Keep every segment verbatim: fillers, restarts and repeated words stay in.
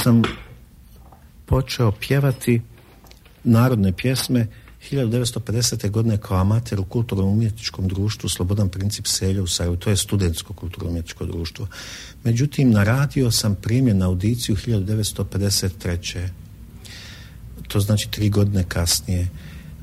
sam počeo pjevati narodne pjesme hiljadu devetsto pedesete. godine kao amater u kulturno-umjetničkom društvu Slobodan Princip Selja u Sarajevu. To je studentsko kulturno-umjetničko društvo. Međutim, na radio sam primljen na audiciju hiljadu devetsto pedeset treće. To znači tri godine kasnije.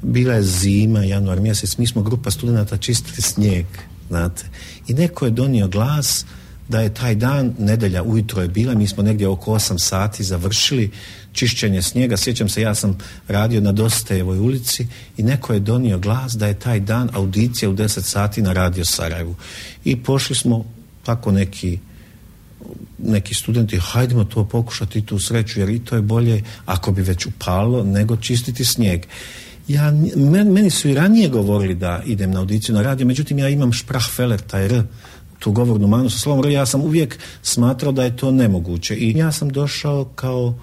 Bila je zima, januar mjesec, mi smo grupa studenata čistili snijeg, znate. I neko je donio glas da je taj dan, nedelja ujutro je bila, mi smo negdje oko osam sati završili čišćenje snijega. Sjećam se, ja sam radio na Dostojevoj ulici i neko je donio glas da je taj dan audicija u deset sati na Radio Sarajevu. I pošli smo tako neki neki studenti, hajdemo to pokušati, tu sreću, jer i to je bolje ako bi već upalo nego čistiti snijeg. Ja, men, meni su i ranije govorili da idem na audiciju na radio, međutim ja imam Sprachfehler, taj R, tu govornu manu sa slovom R, ja sam uvijek smatrao da je to nemoguće i ja sam došao kao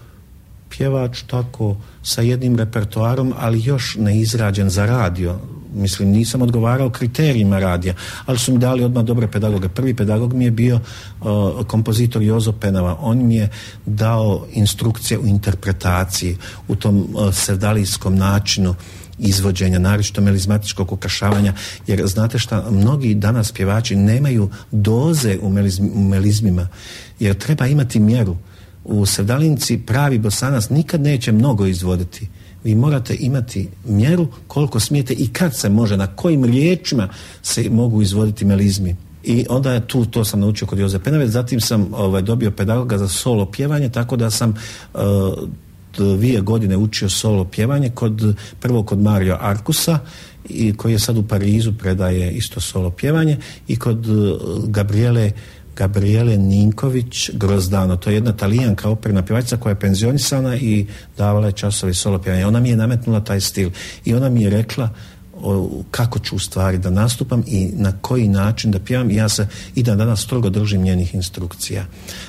pjevač tako sa jednim repertoarom, ali još ne izrađen za radio. Mislim, nisam odgovarao kriterijima radija, ali su mi dali odmah dobre pedagoge. Prvi pedagog mi je bio uh, kompozitor Jozo Penava. On mi je dao instrukcije u interpretaciji, u tom uh, sevdalijskom načinu izvođenja, naročito melizmatičkog ukrašavanja, jer znate šta, mnogi danas pjevači nemaju doze u, melizm, u melizmima, jer treba imati mjeru. U sevdalinci pravi bosanac nikad neće mnogo izvoditi. Vi morate imati mjeru koliko smijete i kad se može, na kojim riječima se mogu izvoditi melizmi. I onda je tu, to sam naučio kod Joze Penave, zatim sam ovaj, dobio pedagoga za solo pjevanje, tako da sam uh, dvije godine učio solo pjevanje, kod, prvo kod Mario Arkusa, i koji je sad u Parizu, predaje isto solo pjevanje, i kod uh, Gabriele Gabriele Ninković Grozdano. To je jedna Talijanka operna pjevačica koja je penzionisana i davala je časove solo pjevanja. Ona mi je nametnula taj stil i ona mi je rekla o, kako ću u stvari da nastupam i na koji način da pjevam, i ja se i dan danas strogo držim njenih instrukcija.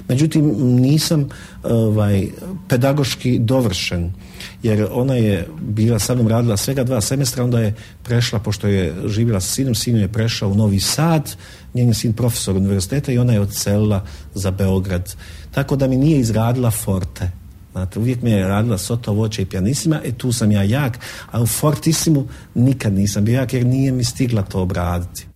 Međutim, nisam ovaj, pedagoški dovršen, jer ona je bila sa mnom radila svega dva semestra, onda je prešla, pošto je živjela sa sinom, sin je prešao u Novi Sad, njen je sin profesor univerziteta i ona je odselila za Beograd. Tako da mi nije izradila forte. Znate, uvijek mi je radila soto, voće i pijanisima, e tu sam ja jak, a u fortisimu nikad nisam bio jak, jer nije mi stigla to obraditi.